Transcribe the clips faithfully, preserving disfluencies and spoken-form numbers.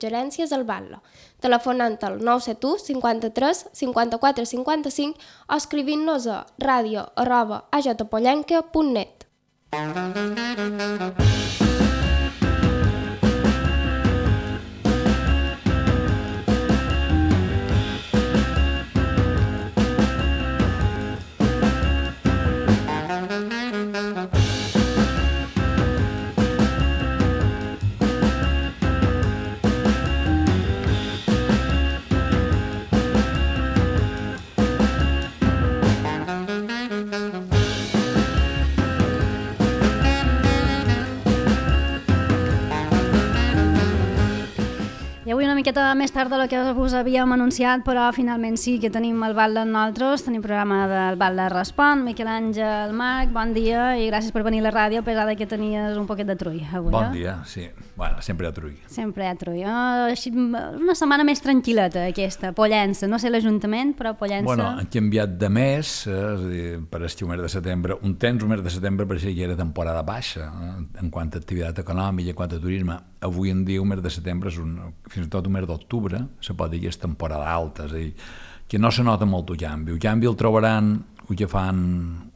Gerències al Batlle, telefonant al nou set u cinquanta-tres cinquanta-quatre cinquanta-cinc o escrivint-nos a ràdio arroba a j pollenca punt net. I avui una miqueta més tard del que us havíem anunciat, però finalment sí que tenim el Batlle amb nosaltres, tenim programa del Batlle Respon. Miquel Àngel, Marc, bon dia i gràcies per venir a la ràdio, a pesar que tenies un poquet de trull avui. Bon dia, sí. Bueno, sempre hi ha trull. Sempre hi ha trull. Així, una setmana més tranquil·leta aquesta, Pollença. No sé l'Ajuntament, però Pollença... Bueno, han canviat de mes, eh? És a dir, per estiu mes de setembre. Un temps, un mes de setembre, pareixia que era temporada baixa, eh? En quant a activitat econòmica, en quant a turisme. Avui en dia, un mes de setembre és un... fins i tot un mes d'octubre, se pot dir que és temporada alta, és a dir, que no se nota molt el canvi. El canvi el trobaran el que fan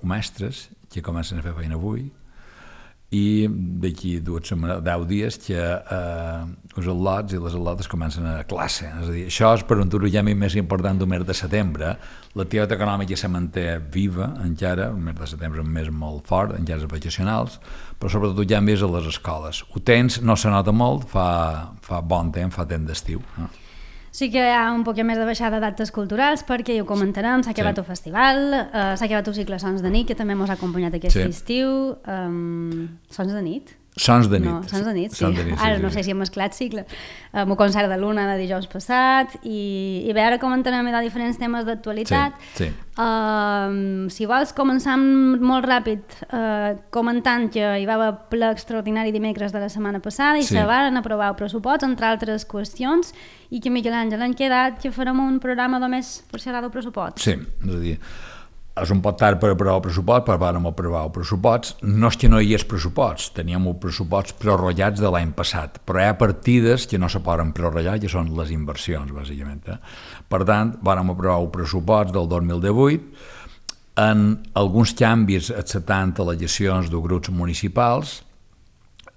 mestres, que comencen a fer feina avui, i d'aquí dues setmanes, deu dies, que eh, els al·lots i les al·lotes comencen a classe. És a dir, això és per un canvi més important d'un mes de setembre. L'activitat econòmica se manté viva encara, el mes de setembre és un mes molt fort, encara és vacacionals, però sobretot el canvi és a les escoles. Ho tens, no se nota molt, fa, fa bon temps, fa temps d'estiu. No? Sí que hi ha un poc més de baixada d'actes culturals perquè, ja ho comentarem, s'ha acabat sí. el festival, uh, s'ha acabat el cicle Sons de nit, que també ens ha acompanyat aquest sí. estiu. Um, Sons de nit? Sons de nit. No, Sons de nit, sí. Sons de nit, sí ara sí, no sé si hem mesclat cicle. Amb un concert de l'una de dijous passat i, i bé, ara comentarem de diferents temes d'actualitat. Sí, sí. Uh, si vols, començam molt ràpid uh, comentant que hi va haver ple extraordinari dimecres de la setmana passada i sí. se van aprovar el pressupost, entre altres qüestions, i que Miquel Àngel han quedat que farem un programa només per xerrar del pressupost. Sí, és a dir, és un pot tard per aprovar el pressupost, però vam aprovar el pressupost. No és que no hi és pressupost, teníem el pressupost prorrogats de l'any passat, però hi ha partides que no se poden prorrogar, que són les inversions, bàsicament. Eh? Per tant, vam aprovar el pressupost del dos mil divuit, en alguns canvis acceptant al·legacions de grups municipals,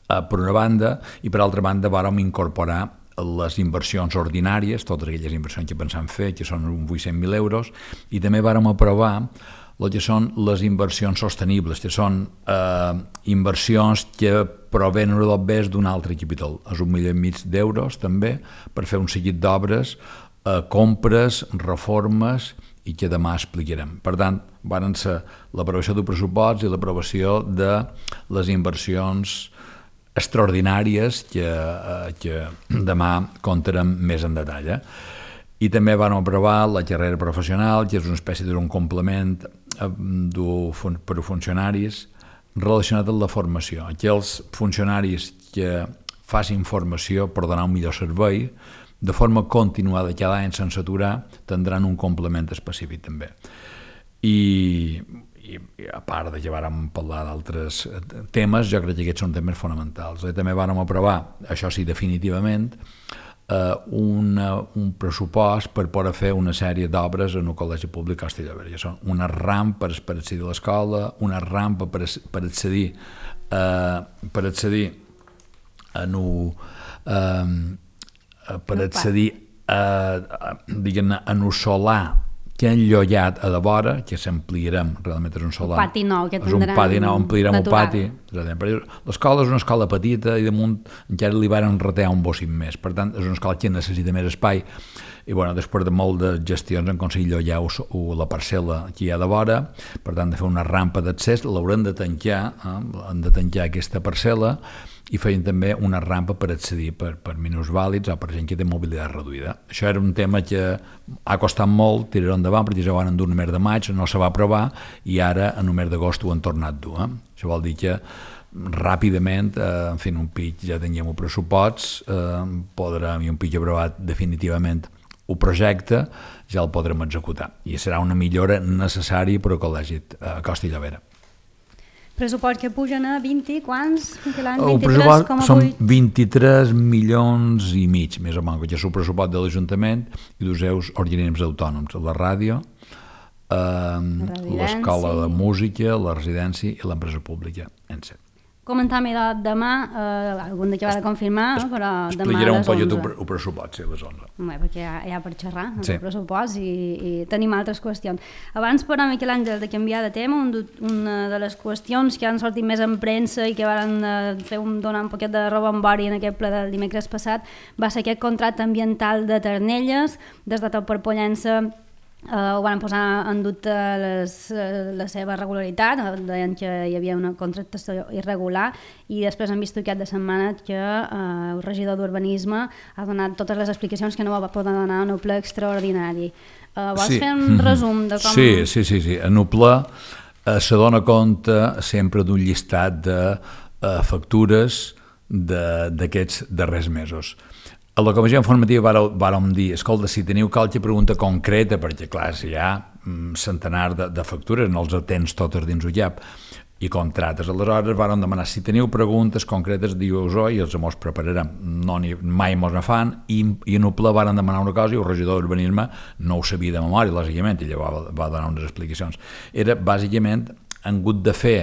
eh, per una banda, i per altra banda vam incorporar les inversions ordinàries, totes aquelles inversions que pensam fer, que són uns vuit-cents mil euros, i també vàrem aprovar el que són les inversions sostenibles, que són eh, inversions que provenen del bes d'un altre capital. És un milió i mig d'euros, també, per fer un seguit d'obres, eh, compres, reformes, i que demà explicarem. Per tant, van ser l'aprovació del pressupost i l'aprovació de les inversions extraordinàries que, eh, que demà contarem més en detall. Eh? I també van aprovar la carrera professional, que és una espècie d'un complement eh, per a funcionaris relacionat amb la formació. Aquells funcionaris que facin formació per donar un millor servei, de forma continuada cada any sense aturar, tindran un complement específic també. I I, i a part de que vàrem parlar d'altres temes, jo crec que aquests són temes fonamentals. I també vàrem aprovar, això sí, definitivament, eh, una, un pressupost per poder fer una sèrie d'obres en el Col·legi Públic Costa i Llobregat. Són una rampa per accedir a l'escola, una rampa per, per accedir eh, per accedir en un, eh, per accedir a, a, diguem-ne, en un solar que han llollat a de vora, que s'ampliarem, realment és un solar. Un pati nou que tindrem. És un pati nou, ampliarem natural. Un pati. L'escola és una escola petita i damunt encara li van retear un bocint més. Per tant, és una escola que necessita més espai i bueno, després de molt de gestions han aconseguit llollar la parcel·la que hi ha de vora, per tant, de fer una rampa d'accés, l'haurem de tancar, eh? han de tancar aquesta parcel·la i feien també una rampa per accedir per, per minusvàlids o per gent que té mobilitat reduïda. Això era un tema que ha costat molt tirar endavant perquè ja ho van endur el mes de maig, no se va aprovar i ara en el mes d'agost ho han tornat a dur. Eh? Això vol dir que ràpidament, eh, en fi, un pitch ja teníem el pressupost, eh, podrem, i un pitch aprovat definitivament el projecte, ja el podrem executar i serà una millora necessària per al Col·legi a Costa i Llobera. Pressupost que pugen a vint, quants? El pressupost són vint-i-tres milions i mig, més o menys, que és el pressupost de l'Ajuntament i dos seus organismes autònoms, la ràdio, eh, l'escola de música, la residència i l'empresa pública, en set. Comentar-me de demà, eh, algun dia que va de confirmar, no? Però demà explicaré a un les poc onze. el pressupost, sí, a les onze. Bé, perquè hi ha, hi ha per xerrar, sí. El pressupost, i, i tenim altres qüestions. Abans, però, Miquel Àngel, de canviar de tema, un, una de les qüestions que han sortit més en premsa i que van eh, fer un, donar un poquet de rebombori en aquest ple del dimecres passat va ser aquest contracte ambiental de Ternelles. Des de Tot per Pollença Uh, ho van posar en dubte les, uh, la seva regularitat, deien que hi havia una contractació irregular, i després hem vist aquest de setmana que uh, el regidor d'Urbanisme ha donat totes les explicacions que no va poder donar en el ple extraordinari. Uh, vols sí. fer un resum de com... Sí, sí, sí, sí. En el ple uh, se dona compte sempre d'un llistat de uh, factures d'aquests darrers mesos. A la comissió informativa vàrem dir, escolta, si teniu qualque pregunta concreta, perquè clar, si hi ha centenars de, de factures, no els atens totes dins el llap, i contractes. Aleshores vàrem demanar, si teniu preguntes concretes, diu-vos-ho i els mos prepararem. No, ni, mai mos ne fan, i, i en el ple vàrem demanar una cosa i el regidor d'Urbanisme no ho sabia de memòria, lògicament, i llavors va, va donar unes explicacions. Era, bàsicament, han hagut de fer,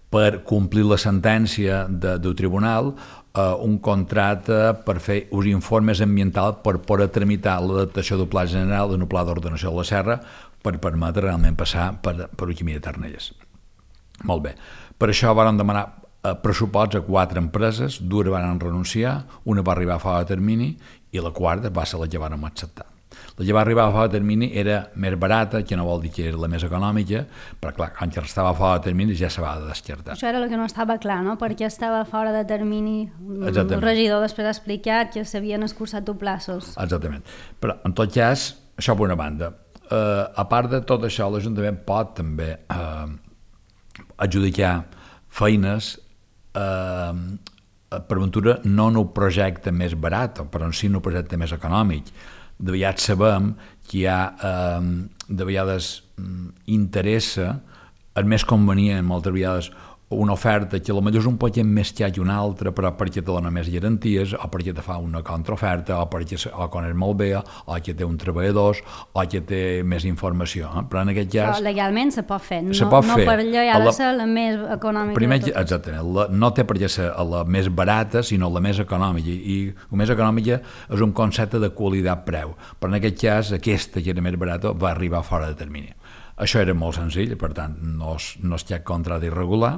per complir la sentència de, del tribunal, Uh, un contracte per fer uns informes ambientals per poder tramitar l'adaptació del pla general d'un pla d'ordenació de la serra per permetre realment passar per, per el camí de Ternelles. Molt bé. Per això vàrem demanar uh, pressuposts a quatre empreses, dues van renunciar, una va arribar a fora de termini i la quarta va ser la que vàrem acceptar. La que va arribar a fora de termini era més barata, que no vol dir que era la més econòmica, però clar, quan ja estava a fora de termini ja se va descartar. Això era el que no estava clar, no? Perquè estava fora de termini. Exactament. El regidor després ha explicat que s'havien escurçat els plaços. Exactament. Però, en tot cas, això per una banda. Uh, a part de tot això, l'Ajuntament pot també uh, adjudicar feines uh, per ventura no en un projecte més barat, però en sí en un projecte més econòmic. De vegades sabem que hi ha, eh, de vegades interessa, és més convenient moltes vegades una oferta que potser és un poc més que una altra, però perquè te dona més garanties, o perquè te fa una contraoferta, o perquè o coneix molt bé, o que té un treballadors, o que té més informació. Eh? Però en aquest cas... Però legalment se pot fer, no, se pot no fer. Per allò ha de ser la més econòmica. Primer, de totes. exactament, la, no té per què ser la més barata, sinó la més econòmica, i la més econòmica és un concepte de qualitat-preu, però en aquest cas aquesta, que era més barata, va arribar fora de termini. Això era molt senzill, per tant, no es, no es té contracte irregular,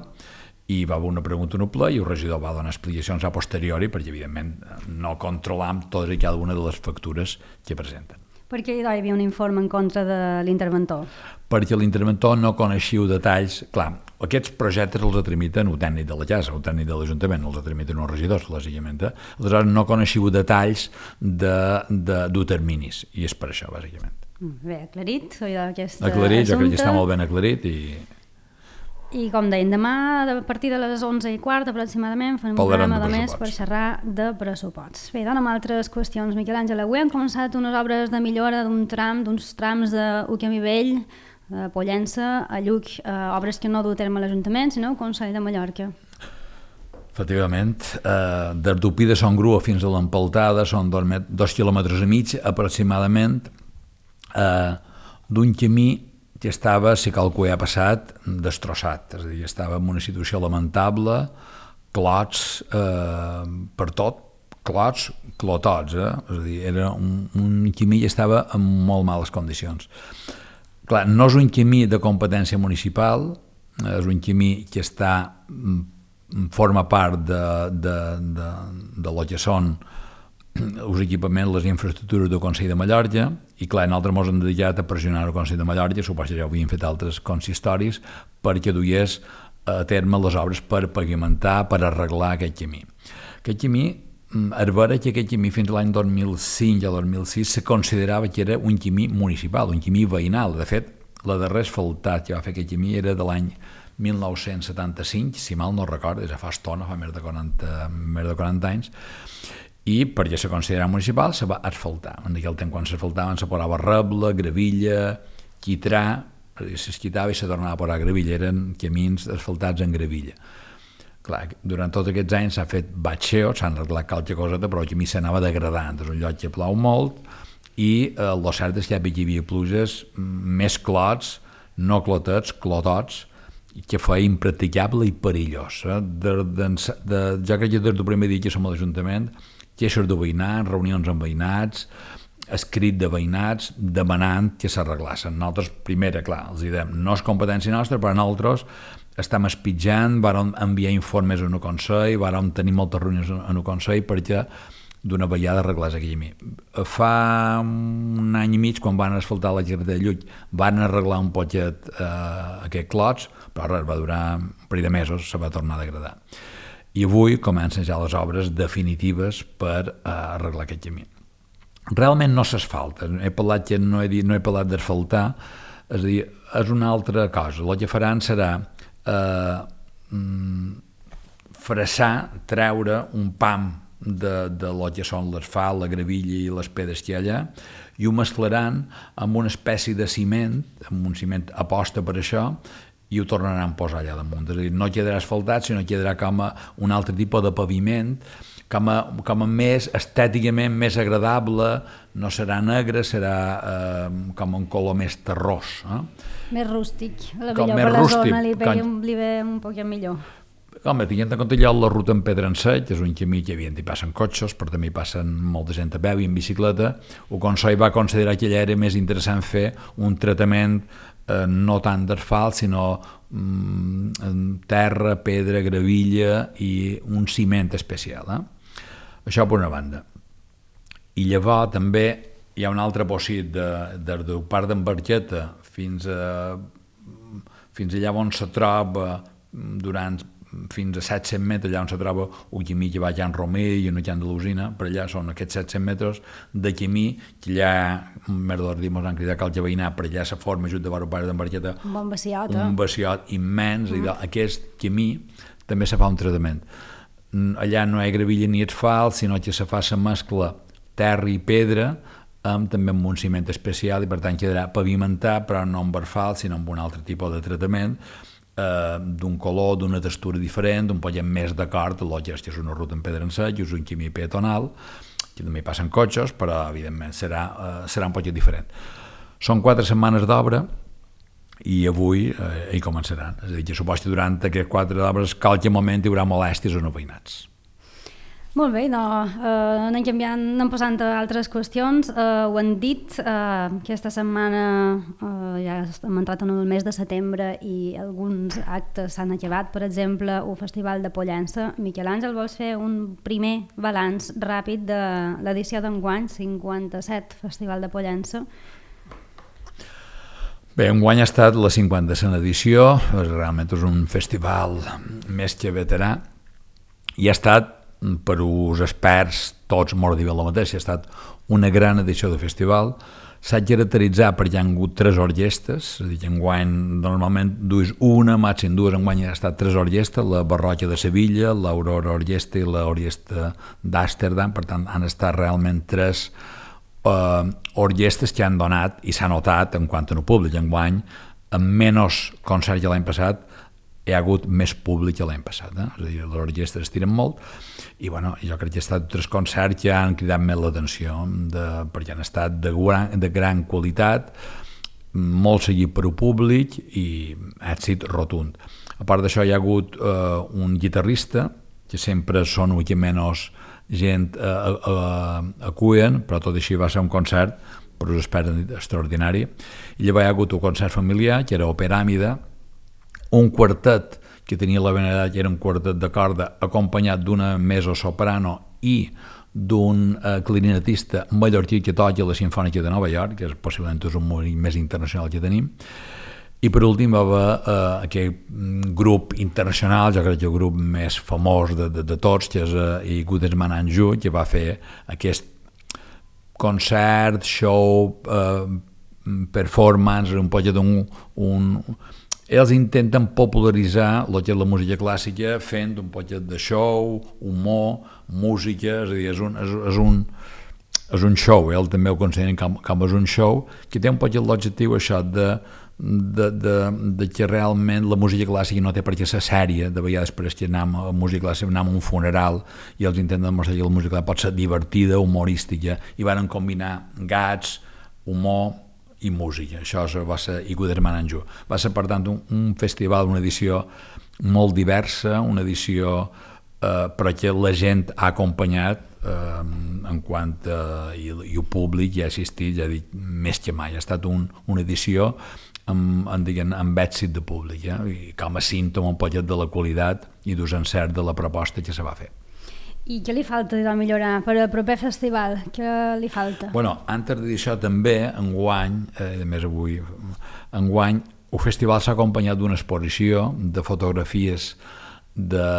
i va haver una pregunta en el ple i el regidor va donar explicacions a posteriori perquè, evidentment, no controlam totes i cada una de les factures que presenten. Per què hi havia un informe en contra de l'interventor? Perquè l'interventor no coneixia detalls. Clar, aquests projectes els tramiten el tècnic de la casa, el tècnic de l'Ajuntament, els tramiten els regidors, lògicament. Aleshores, no coneixia detalls de, de, de terminis, i és per això, bàsicament. Bé, aclarit, aquest aclarit, assumpte. Jo crec que està molt ben aclarit i... I com deien, demà a partir de les onze i quart aproximadament farem un programa de més per xerrar de pressuposts. Bé, donem altres qüestions. Miquel Àngel, avui hem començat unes obres de millora d'un tram, d'uns trams d'U Camí Vell, de Pollença, a Lluc, eh, obres que no du a terme l'Ajuntament, sinó el Consell de Mallorca. Efectivament, eh, des d'Upí de Son Grua fins a l'Empaltada són dos, dos quilòmetres i mig aproximadament, eh, d'un camí que estava, si calcul ha passat, destrossat, és a dir, estava en una situació lamentable, clots eh, per tot, clots, clotots, eh? És a dir, era un, un camí que estava en molt males condicions. Clar, no és un camí de competència municipal, és un camí que està, forma part de, de, de, de lo que són els equipaments, les infraestructures del Consell de Mallorca, i clar, nosaltres ens hem dedicat a pressionar el Consell de Mallorca, suposo que ja ho havien fet altres consistoris, perquè duies a terme les obres per pavimentar, per arreglar aquest camí. Aquest camí, és vera que aquest camí fins a l'any dos mil cinc o dos mil sis se considerava que era un camí municipal, un camí veïnal. De fet, la darrera asfaltat que va fer aquest camí era de l'any mil nou-cents setanta-cinc, si mal no recordo, ja fa estona, fa més de quaranta, més de quaranta anys, i perquè se considerava municipal se va asfaltar. En aquell temps quan s'asfaltaven se posava reble, gravilla, quitrà, s'esquitava i se tornava a posar gravilla, eren camins asfaltats en gravilla. Clar, durant tots aquests anys s'ha fet batxeo, s'han arreglat qualque coseta, però el camí s'anava degradant, és un lloc que plou molt, i eh, el cert és que hi havia pluges més clots, no clotets, clotots, que feia impracticable i perillós. Eh? De, de, de, jo crec que des del primer dia que som a l'Ajuntament, queixes de veïnats, reunions amb veïnats, escrit de veïnats, demanant que s'arreglassin. Nosaltres, primera, clar, els diem, no és competència nostra, però nosaltres estem espitjant, vàrem enviar informes a un Consell, vàrem tenir moltes reunions a un Consell perquè d'una vegada arreglés aquell camí. Fa un any i mig, quan van asfaltar la carretera de Llull, van arreglar un poquet eh, aquests clots, però res, va durar un parell de mesos, se va tornar a degradar. I avui comencen ja les obres definitives per eh, arreglar aquest camí. Realment no s'asfalta, he parlat que no he, dit, no he parlat d'asfaltar, és a dir, és una altra cosa. El que faran serà eh, fressar, treure un pam de, de lo que són l'asfalt, la gravilla i les pedres que hi ha allà, i ho mesclaran amb una espècie de ciment, amb un ciment aposta per això, i ho tornaran a posar allà damunt. És a dir, no quedarà asfaltat, sinó quedarà com a un altre tipus de paviment, com a, com a més estèticament més agradable, no serà negre, serà eh, com un color més terrós. Eh? Més rústic, a la com millor més per la rústic, zona li ve, com... li ve un poc millor. Home, tenint en compte ja la ruta en pedra en sec, és un camí que hi passen cotxes, però també hi passen molta gent a peu i en bicicleta, el Consell va considerar que allà era més interessant fer un tractament eh, no tant d'asfalt, sinó mm, terra, pedra, gravilla i un ciment especial. Eh? Això per una banda. I llavors també hi ha un altre possit de, de, del parc d'en Barqueta fins, a, fins allà on se troba durant fins a set-cents metres, allà on se troba un camí que va a Can Romer i un Can de l'Usina, per allà són aquests set-cents metres de camí que allà, més de l'ordre, ens han cridat cal que veïnar, per allà se forma just de vora pare d'en Barqueta un bon vaciot, eh? un vaciot immens, mm. i aquest camí també se fa un tractament. Allà no hi ha gravilla ni asfalt, sinó que se fa la mescla terra i pedra, amb també amb un ciment especial, i per tant quedarà pavimentat, però no amb asfalt, sinó amb un altre tipus de tractament, eh, d'un color, d'una textura diferent, un poc més d'acord, el que és una ruta en pedra en sec, és un camí peatonal, que també hi passen cotxes, però evidentment serà, eh, serà un poc diferent. Són quatre setmanes d'obra, i avui eh, hi començaran. És a dir, que suposo que durant aquests quatre d'obres qualque moment hi haurà molèsties o no veïnats. Molt bé, no, eh, anem canviant, anem passant a altres qüestions. Eh, ho han dit, eh, aquesta setmana eh, ja hem entrat en el mes de setembre i alguns actes s'han acabat, per exemple, el Festival de Pollença. Miquel Àngel, vols fer un primer balanç ràpid de l'edició d'enguany, cinquanta-set Festival de Pollença? Bé, enguany ha estat la cinquanta-setena edició, realment és un festival més que veterà, i ha estat, per als experts, tots molt diuen el mateix, ha estat una gran edició de festival. S'ha caracteritzat perquè hi ha hagut tres orquestes, és a dir, enguany normalment dues una, màxim dues, enguany ha estat tres orquestes, la Barroca de Sevilla, l'Aurora Orquestra i l'Orquestra d'Amsterdam, per tant han estat realment tres Uh, orquestes que han donat i s'ha notat en quant a no públic. Enguany, amb menys concerts que l'any passat, hi ha hagut més públic que l'any passat. Eh? És a dir, les orquestes estiren molt i bueno, jo crec que ha estat tres concerts que han cridat més l'atenció de, perquè han estat de gran, de gran qualitat, molt seguit per al públic i èxit rotund. A part d'això hi ha hagut uh, un guitarrista que sempre són una mica menys gent a, a, a acullen, però tot així va ser un concert per us experts extraordinari. I llavors hi ha hagut un concert familiar que era Operàmida, un quartet que tenia la benedat que era un quartet de corda acompanyat d'una mezzo-soprano i d'un eh, clarinetista mallorquí que toca la Simfònica de Nova York, que és possiblement és un músic més internacional que tenim. I per últim va haver eh, aquest grup internacional, jo crec que el grup més famós de, de, de tots, que és eh, Goodesman and Jude, que va fer aquest concert, show, eh, performance, un poc d'un... Un... Ells intenten popularitzar el que és la música clàssica fent un poc de show, humor, música, és a dir, és un, és, és un, és un show, ell també ho consideren com, com és un show, que té un poc l'objectiu això de, de, de, de que realment la música clàssica no té per què ser sèria, de vegades per que anem a música clàssica, anem a un funeral i els intenten demostrar que la música clàssica pot ser divertida, humorística, i van combinar gats, humor i música. Això va ser Igu d'Hermananjou. Va ser, per tant, un, un festival, una edició molt diversa, una edició eh, però que la gent ha acompanyat eh, en quant a, i, i el públic hi ha assistit, ja dic, més que mai. Ha estat un, una edició amb, amb, diguem, amb èxit de públic, eh? I com a símptoma un poquet de la qualitat i d'un encert de la proposta que se va fer. I què li falta de millorar per al proper festival? Què li falta? Bueno, antes de dir això també, enguany, eh, a més avui, enguany, el festival s'ha acompanyat d'una exposició de fotografies de,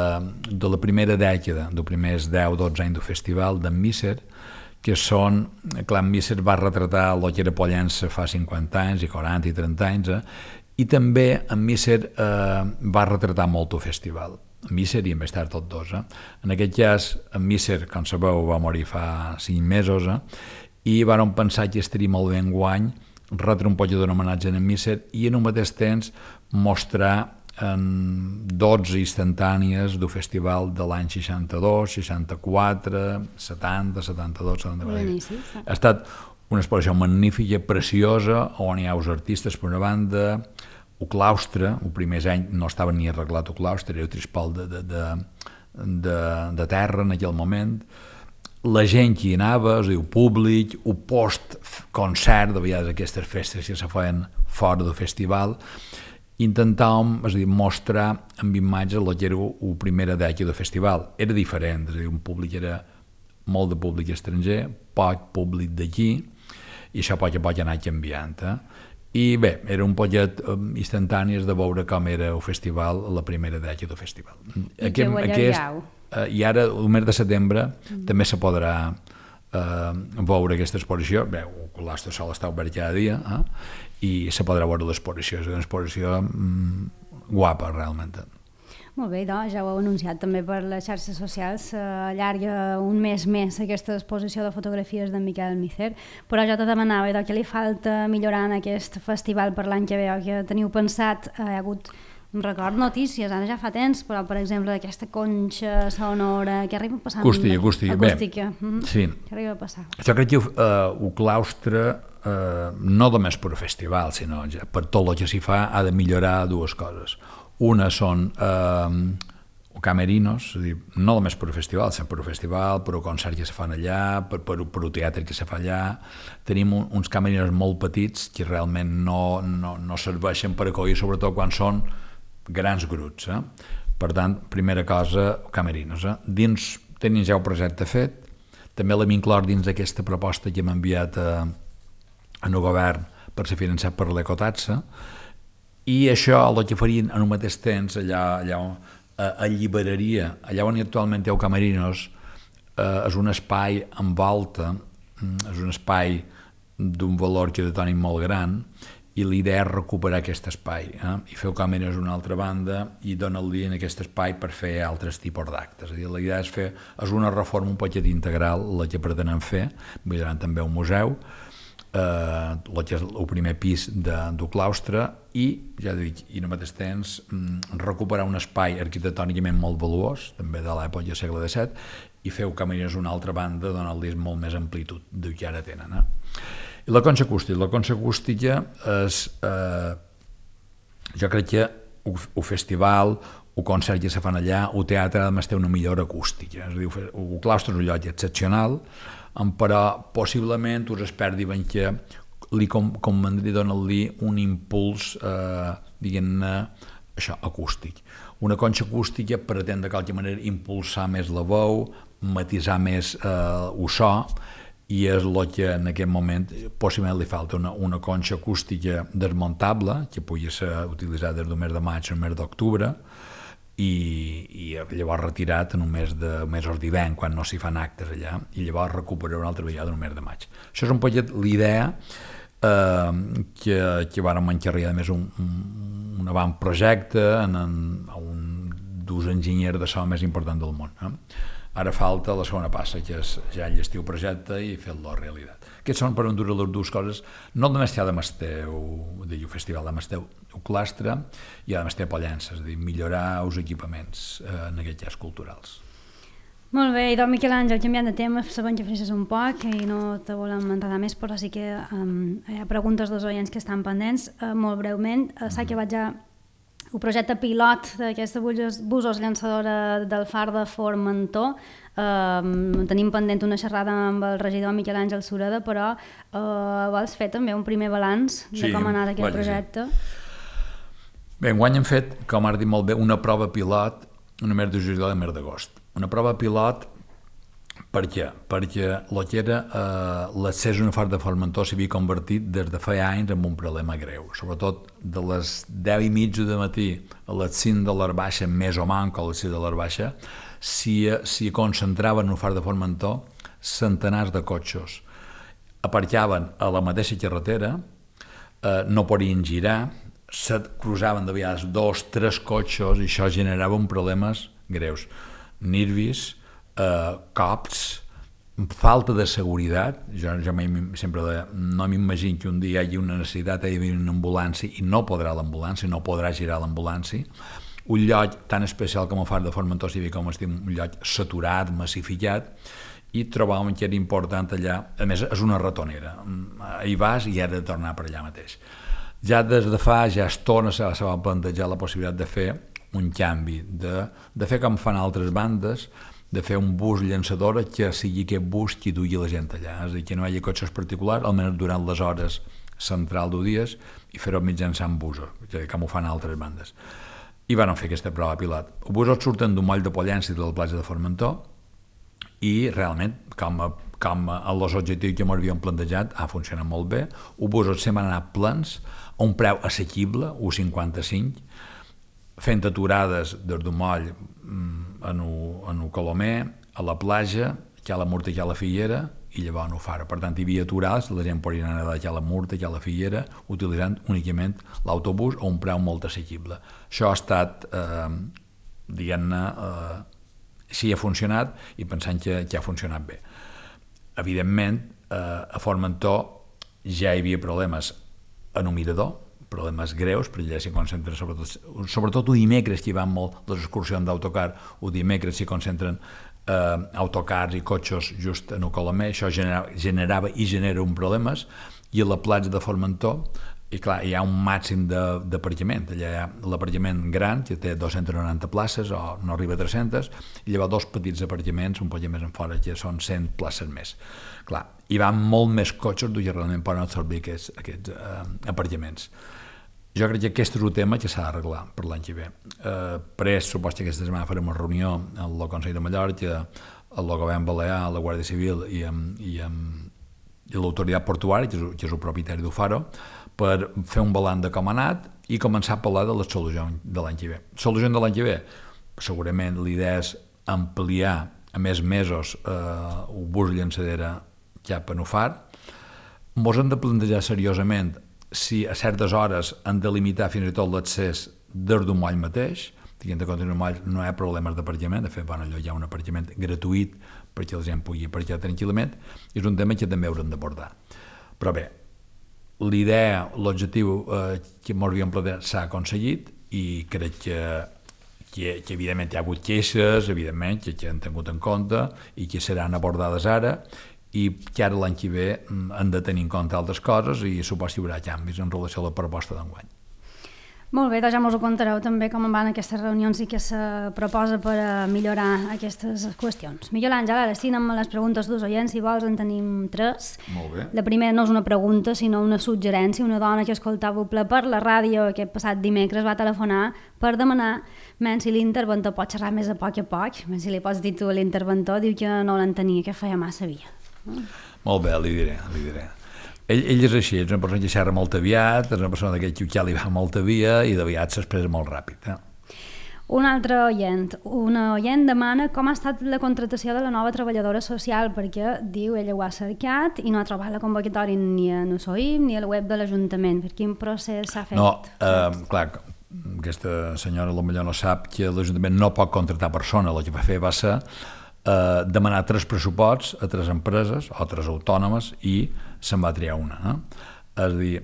de la primera dècada, dels primers deu dotze anys del festival, d'en Misser, que són, clar, en Misser va retratar el que era Pollença fa cinquanta anys, i quaranta i trenta anys, eh? I també en Misser eh, va retratar molt el festival. En Misser i en més tard tots dos. Eh? En aquest cas, en Misser, com sabeu, va morir fa cinc mesos, eh? I van pensar que estaria molt bé enguany retre un poc d'un homenatge a en Misser i en un mateix temps mostrar en dotze instantànies del festival de l'any seixanta-dos, seixanta-quatre, setanta, setanta-dos, setanta-quatre. Ha estat una exposició magnífica, preciosa, on hi ha els artistes per una banda, el claustre, el primer any no estava ni arreglat el claustre, era un trispol de, de, de, de, de terra en aquell moment, la gent que hi anava, és a dir, el públic, el post-concert, de vegades aquestes festes que se feien fora del festival, intentàvem, és a dir, mostrar amb imatges el que era la primera dècada del festival. Era diferent, és a dir, un públic era molt de públic estranger, poc públic d'aquí, i això poc a poc ha anat canviant. Eh? I bé, era un poquet instantànies de veure com era el festival, la primera dècada del festival. I aquest, que aquest, eh, I ara, el mes de setembre, mm. també se podrà eh, veure aquesta exposició. Bé, el claustre sol està obert cada dia, eh? I se podrà veure l'exposició. És una exposició mm, guapa, realment. Molt bé, doncs, ja ho heu anunciat també per les xarxes socials, s'allarga un mes més aquesta exposició de fotografies d'en Miquel Misser, però jo te demanava doncs, què li falta millorar en aquest festival per l'any que ve, que teniu pensat, hi ha hagut, em record notícies, ara ja fa temps, però per exemple d'aquesta conxa sonora, què arriba a passar? Acústica, acústica. Acústica. Mm-hmm. Sí. Què arriba a passar? Jo crec que uh, el claustre, uh, no només per festival, sinó ja, per tot el que s'hi fa, ha de millorar dues coses. Una són eh, camerinos, és a dir, no només per festival, sinó per festival, per concerts que se fan allà, per, per, per un teatre que se fa allà. Tenim un, uns camerinos molt petits que realment no, no, no serveixen per acollir, sobretot quan són grans grups. Eh? Per tant, primera cosa, camerinos. Eh? Dins tenim ja el projecte fet, també l'hem inclòs dins d'aquesta proposta que hem enviat a, a el govern per ser finançat per l'Ecotaxa, i això el que farien en un mateix temps allà, allà on eh, alliberaria, allà on actualment té el Camerinos, eh, és un espai en volta, és un espai d'un valor arquitectònic molt gran, i l'idea és recuperar aquest espai, eh? I fer el Camerinos a una altra banda i donar-li en aquest espai per fer altres tipus d'actes. És a dir, la idea és fer, és una reforma un poquet integral, la que pretenem fer, millorant també un museu, eh, el que és el primer pis de, del claustre, i, ja dic, i al mateix temps recuperar un espai arquitectònicament molt valuós, també de l'època del segle disset, i fer camins a una altra banda, donar-li molt més amplitud del que ara tenen. Eh? I la conxa acústica. La conxa acústica és, eh, jo crec que el festival, el concert que se fan allà, el teatre a més té una millor acústica. És a dir, el claustre és un lloc excepcional, però possiblement us experts diuen que li convendria donar-li un impuls, eh, diguem-ne, això, acústic. Una conxa acústica pretén de qualque manera impulsar més la veu, matisar més eh, el so, i és el que en aquest moment possiblement li falta una, una conxa acústica desmuntable, que pugui ser utilitzada des del mes de maig al mes d'octubre, i, i llavors retirat en un mes de mesos d'hivern, quan no s'hi fan actes allà, i llavors recuperar una altra vegada en un mes de maig. Això és un poquet l'idea eh, que, que vàrem encarregar, a més, un, un, un avantprojecte en, en, a un dels enginyers de so més important del món. Eh? Ara falta la segona passa, que és ja enllestir el projecte i fer-lo realitat. Aquests són per endur les dues coses, no només hi ha de Masteu, del Festival de Masteu, el clastre, i ha de Masteu Pollença, és a dir, millorar els equipaments, eh, en aquest cas culturals. Molt bé, i doncs Miquel Àngel, canviant de tema, sabem que fresses un poc i no te volem enredar més, però sí que um, hi ha preguntes dels oients que estan pendents. Uh, molt breument, uh, s'ha acabat ja el projecte pilot d'aquesta busos llançadora del Far de Formentor. Uh, tenim pendent una xerrada amb el regidor Miquel Àngel Sureda, però uh, vols fer també un primer balanç de sí, com ha anat aquest vaja, projecte? Sí. Bé, enguany hem fet, com has dit molt bé, una prova pilot en el mes de juliol i el mes d'agost. Una prova pilot, per què? Perquè el que era eh, l'accés a un Far de Formentor s'havia convertit des de fa anys en un problema greu. Sobretot de les deu i mitja de matí a les cinc de l'hora baixa, més o manco a les sis de l'hora baixa, s'hi si concentraven en un Far de Formentor centenars de cotxes. Aparcaven a la mateixa carretera, eh, no podien girar, se cruzaven de vegades dos, tres cotxes i això generava uns problemes greus. Nervis, eh, cops, falta de seguretat. Jo, jo sempre de, no m'imagino que un dia hi hagi una necessitat d'haver una ambulància i no podrà l'ambulància, no podrà girar l'ambulància. Un lloc tan especial com el Far de Formentor s'hi com estim, un lloc saturat, massificat, i trobàvem que era important allà. A més, és una ratonera. Hi vas i has de tornar per allà mateix. Ja des de fa, ja estona se va plantejar la possibilitat de fer un canvi, de, de fer com fan altres bandes, de fer un bus llançadora que sigui aquest bus que duia la gent allà, és a dir, que no hi hagi cotxes particulars, almenys durant les hores central d'un dia, i fer-ho mitjançant busos, com ho fan altres bandes. I van fer aquesta prova pilot. Els busos surten d'un moll de Pollença i de la platja de Formentor, i realment, com a, com a els objectius que m'havíem plantejat, ha funcionat molt bé. Els busos sempre han anat plens, a un preu assequible, un coma cinquanta-cinc, fent aturades des d'un moll en un Colomer, a la platja, que a la Murta i que a la Figuera, i llavors no fara. Per tant, hi havia aturades, la gent podia anar a la Murta i a la Figuera, utilitzant únicament l'autobús a un preu molt assequible. Això ha estat, eh, diguem-ne, eh, sí ha funcionat i pensant que, que ha funcionat bé. Evidentment, eh, a Formentor ja hi havia problemes en un mirador, problemes greus, perquè allà s'hi concentren sobretot, sobretot un dimecres que hi van molt les excursions d'autocar, un dimecres s'hi concentren eh, autocars i cotxes just en el Colomer, això generava, generava i genera un problemes, i a la platja de Formentor, i clar, hi ha un màxim d'aparcament, allà hi ha l'aparcament gran, que té dues-centes noranta places, o no arriba a tres-centes, i llavors dos petits aparcaments, un poc més en fora, que són cent places més. Clar, hi van molt més cotxes que realment poden absorbir aquests, aquests eh, aparcaments. Jo crec que aquest és un tema que s'ha d'arreglar per l'any que ve. Eh, Pres, suposo que aquesta setmana farem una reunió amb el Consell de Mallorca, el Govern Balear, la Guàrdia Civil i amb, i amb i l'autoritat portuària, que és, que és el propietari del Faro, per fer un balanç de com ha anat i començar a parlar de les solucions de l'any que ve. Solucions de l'any que ve? Segurament l'idea és ampliar a més mesos eh, el bus llançadera cap a Nufar. Ens hem de plantejar seriosament si a certes hores han de limitar fins i tot l'accés des d'un moll mateix, tenint en compte que en un moll no hi ha problemes d'aparcament, de fet, bueno, allò hi ha un aparcament gratuït perquè la gent pugui aparcar tranquil·lament, i és un tema que també haurem d'abordar. Però bé, l'idea, l'objectiu eh, que ens havíem plantejat s'ha aconseguit i crec que, que, que evidentment hi ha hagut queixes, evidentment, que, que han tingut en compte i que seran abordades ara, i que ara l'any que ve han de tenir en compte altres coses i suposo que hi haurà canvis en relació a la proposta d'enguany. Molt bé, doncs ja ens ho contareu també com van aquestes reunions i què se proposa per millorar aquestes qüestions. Miquel Àngel, ara sí, anem a les preguntes dels oients, si vols en tenim tres. Molt bé. La primera no és una pregunta, sinó una suggerència. Una dona que escoltava ple per la ràdio aquest passat dimecres va telefonar per demanar men si l'interventor pot xerrar més a poc a poc, men si li pots dir tu a l'interventor, diu que no l'entenia, que feia massa via. Molt bé, li diré, li diré. Ell, ell és així, és una persona que xerra molt aviat, és una persona que ja li va molt via i d'aviat s'expressa molt ràpid. Eh? Un altre oient, una oient demana com ha estat la contratació de la nova treballadora social, perquè diu, ella ho ha cercat i no ha trobat la convocatòria ni a Nosoim ni a la web de l'Ajuntament. Per quin procés s'ha fet? No, eh, clar, aquesta senyora potser no sap que l'Ajuntament no pot contractar persona, el que va fer va ser eh, demanar tres pressuposts a tres empreses o tres autònomes i se'n va triar una. Eh? És a dir,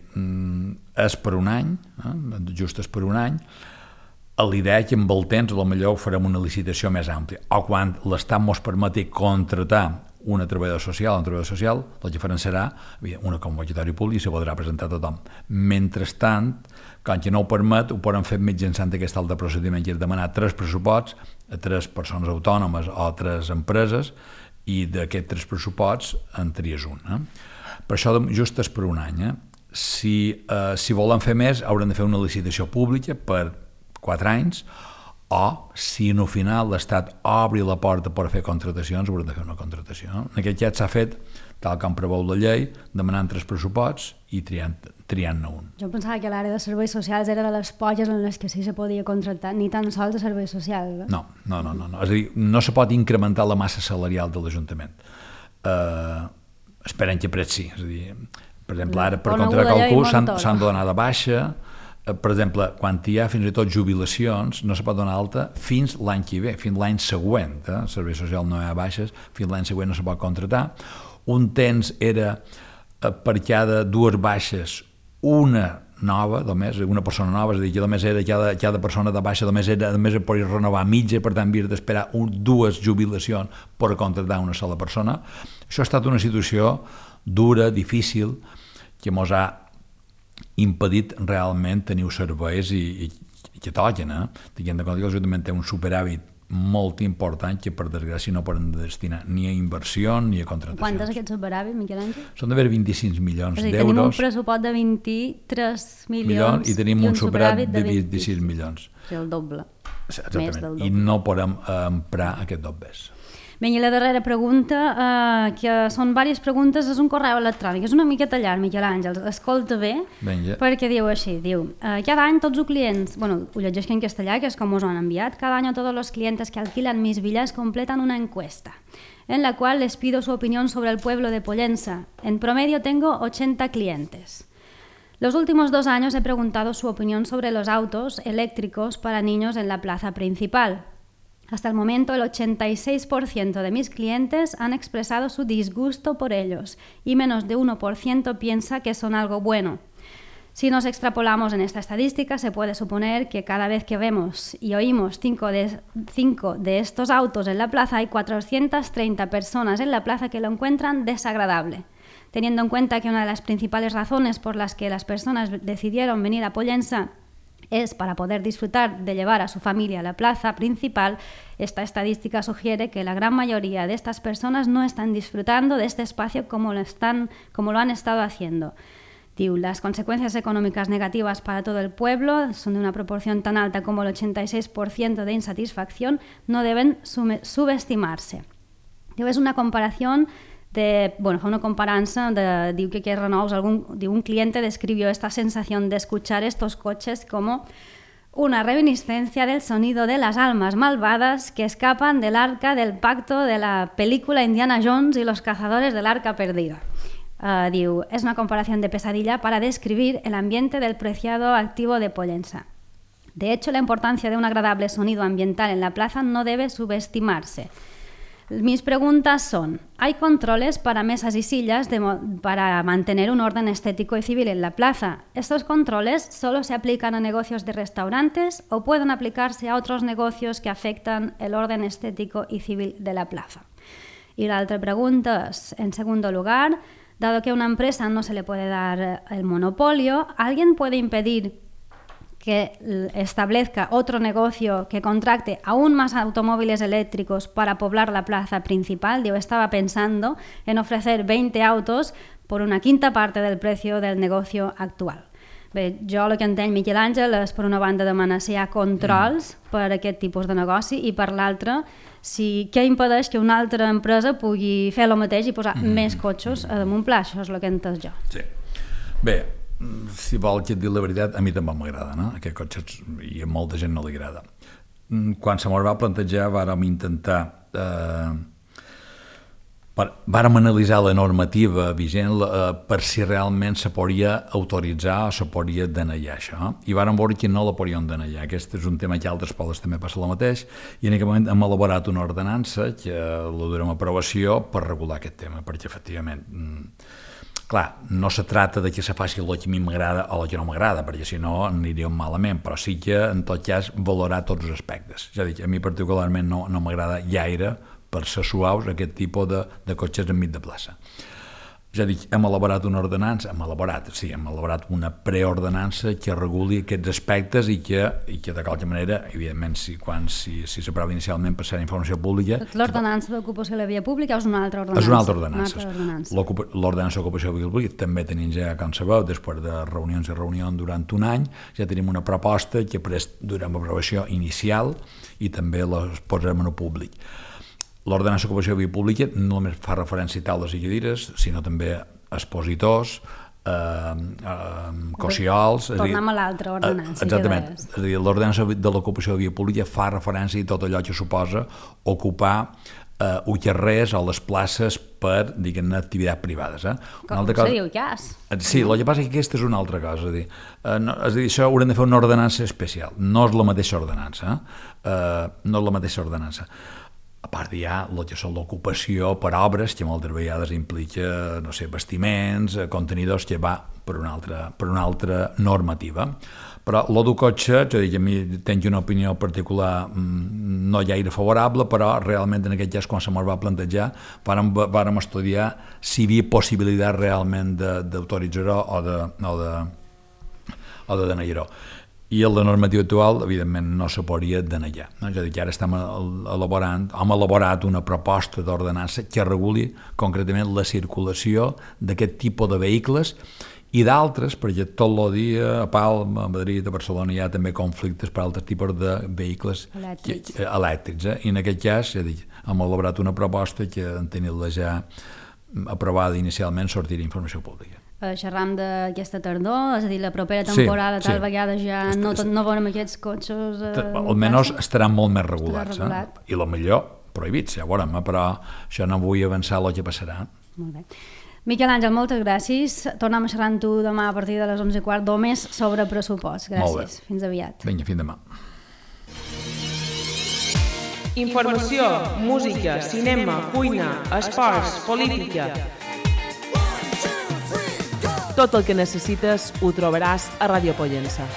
és per un any, eh? just és per un any, l'idea és que amb el temps potser farem una licitació més àmplia, o quan l'Estat ens permeti contratar una treballadora social, un treballador social, el que faran serà una convocatòria pública i se podrà presentar a tothom. Mentrestant, quan que no ho permet, ho poden fer mitjançant aquest altre procediment, que és demanar tres pressuposts a tres persones autònomes o a tres empreses, i d'aquests tres pressuposts en tries un. Eh? Per això just és per un any. Eh? Si, eh, si volen fer més, hauran de fer una licitació pública per quatre anys, o si en el final l'Estat obri la porta per fer contratacions, hauran de fer una contratació. En aquest cas s'ha fet, tal com preveu la llei, demanant tres pressuposts i triant-ne triant un. Jo pensava que l'àrea de serveis socials era de les poques en les que sí se podia contractar, ni tan sols de serveis socials. Eh? No, no, no, no, no. És a dir, no se pot incrementar la massa salarial de l'Ajuntament. Uh, esperem que pres sí. És a dir, per exemple, ara per contractar qualcú s'han de donar de baixa. Per exemple, quan hi ha fins i tot jubilacions, no se pot donar alta fins l'any que ve, fins l'any següent. Eh? Servei social no hi ha baixes, fins l'any següent no se pot contratar. Un temps era per cada dues baixes una nova, només, una persona nova, és a dir, que només era cada, cada persona de baixa, només era, només es podia renovar mitja, per tant havies d'esperar un, dues jubilacions per contractar una sola persona. Això ha estat una situació dura, difícil, que ens ha impedit realment tenir serveis i, i, i que toquen. Eh? Tinguem de compte que l'Ajuntament té un superàvit molt important que per desgràcia no poden destinar ni a inversió ni a contratacions. Quant és aquest superàvit, Miquel Àngel? Són d'haver vint-i-cinc milions d'euros. És a dir, tenim un pressupost de vint-i-tres milions i tenim un superàvit de vint-i-sis milions. És el doble. Exactament, i no podem emprar aquest dobles. Bé, i la darrera pregunta, eh, que són diverses preguntes, és un correu electrònic. És una miqueta llarg, Miquel Àngel, escolta bé, Benja. Perquè diu així, diu, eh, cada any tots los clients, bueno, ho llegeix en castellà, que és com us ho han enviat, cada año todos los clientes que alquilan mis villas completan una encuesta, en la cual les pido su opinión sobre el pueblo de Pollença. En promedio tengo ochenta clientes. Los últimos dos años he preguntado su opinión sobre los autos eléctricos para niños en la plaza principal. Hasta el momento, el ochenta y seis por ciento de mis clientes han expresado su disgusto por ellos y menos de uno por ciento piensa que son algo bueno. Si nos extrapolamos en esta estadística, se puede suponer que cada vez que vemos y oímos cinco de, cinco de estos autos en la plaza, hay cuatrocientas treinta personas en la plaza que lo encuentran desagradable. Teniendo en cuenta que una de las principales razones por las que las personas decidieron venir a Pollença es para poder disfrutar de llevar a su familia a la plaza principal, esta estadística sugiere que la gran mayoría de estas personas no están disfrutando de este espacio como lo, están, como lo han estado haciendo. Diu, las consecuencias económicas negativas para todo el pueblo son de una proporción tan alta como el ochenta y seis por ciento de insatisfacción, no deben subestimarse. Diu, es una comparación de, bueno, fa una comparança de, diu que que Renous, algún, diu, un cliente describió esta sensación de escuchar estos coches como una reminiscencia del sonido de las almas malvadas que escapan del arca del pacto de la película Indiana Jones y los cazadores del arca perdida. Uh, diu, es una comparación de pesadilla para describir el ambiente del preciado activo de Pollença. De hecho, la importancia de un agradable sonido ambiental en la plaza no debe subestimarse. Mis preguntas son, ¿hay controles para mesas y sillas de para mantener un orden estético y civil en la plaza? ¿Estos controles solo se aplican a negocios de restaurantes o pueden aplicarse a otros negocios que afectan el orden estético y civil de la plaza? Y la otra pregunta es, en segundo lugar, dado que a una empresa no se le puede dar el monopolio, ¿alguien puede impedir que establezca otro negocio que contracte aún más automóviles eléctricos para poblar la plaza principal? Yo estaba pensando en ofrecer veinte autos por una quinta parte del precio del negocio actual. Bé, jo el que entenc, Miquel Àngel, és per una banda demanar si hi ha controls mm. per a aquest tipus de negoci i per l'altra, si, què impedeix que una altra empresa pugui fer el mateix i posar mm. més cotxes a damunt pla? Això és el que he entès jo. Sí. Bé, si vol que et digui la veritat, a mi també m'agrada, no? Aquest cotxe, i a molta gent no li agrada. Quan se m'ho va plantejar, vàrem intentar eh, Vàrem analitzar la normativa vigent eh, per si realment se podria autoritzar o se podria denegar això, i vàrem veure que no la podíem denegar. Aquest és un tema que a altres pobles també passa el mateix, i en aquest moment hem elaborat una ordenança que la durem a aprovació per regular aquest tema, perquè efectivament, clar, no se trata de que se faci el que a mi m'agrada o el que no m'agrada, perquè si no aniríem malament, però sí que en tot cas valorar tots els aspectes. És a dir, a mi particularment no, no m'agrada gaire per ser suaus aquest tipus de, de cotxes enmig de plaça. Ja dic, hem elaborat una ordenança, hem elaborat, sí, hem elaborat una preordenança que reguli aquests aspectes i que, i que de qualque manera, evidentment, si, quan, si, si s'aprova inicialment per ser informació pública... L'ordenança d'ocupació de la via pública és una altra ordenança? És una altra ordenança. L'ordenança d'ocupació de la via pública també tenim ja, com sabeu, després de reunions i reunions durant un any, ja tenim una proposta que durem aprovació inicial i també la posarem en el públic. L'ordenança d'ocupació de via pública no només fa referència a taules i cadires, sinó també expositors, eh, eh, cociols... Tornem a l'altra ordenança. Exactament. És a dir, l'ordenança de l'ocupació de via pública fa referència a tot allò que suposa ocupar eh, uns carrers o les places per, diguem-ne, activitats privades. Eh? Com cosa... seria el cas. Sí, el que passa és que aquesta és una altra cosa. És a dir, eh, no, és a dir, això haurem de fer una ordenança especial. No és la mateixa ordenança. Eh? Eh, no és la mateixa ordenança. A part hi ha el que són l'ocupació per obres, que moltes vegades implica, no sé, bastiments, contenidors, que va per una altra, per una altra normativa. Però lo del cotxe, és a dir, que a mi tinc una opinió particular no gaire favorable, però realment en aquest cas, quan se me'l va plantejar, vàrem, vàrem estudiar si hi havia possibilitat realment d'autoritzar-ho o de, o de, o de denegar-ho. I en la normativa actual, evidentment, no se podria denegar. No? És a dir, que ara estem elaborant, hem elaborat una proposta d'ordenança que reguli concretament la circulació d'aquest tipus de vehicles i d'altres, perquè tot el dia a Palma, a Madrid, a Barcelona hi ha també conflictes per altres tipus de vehicles elèctrics. Que, elèctrics eh? I en aquest cas, ja dic, hem elaborat una proposta que en tenir-la ja aprovada inicialment sortirà informació pública. Xerram d'aquesta tardor, és a dir, la propera temporada sí, tal sí. vegada ja Est, no, no veurem aquests cotxes... Eh, almenys estaran molt més regulats, eh? I el millor prohibits, ja veurem, eh? Però això no vull avançar el que passarà. Molt bé. Miquel Àngel, moltes gràcies. Tornem a xerrar amb tu demà a partir de les onze i quart o més sobre pressupost. Gràcies. Fins aviat. Vinga, fins demà. Informació, música, cinema, cuina, esports, política... Tot el que necessites ho trobaràs a Ràdio Pollença.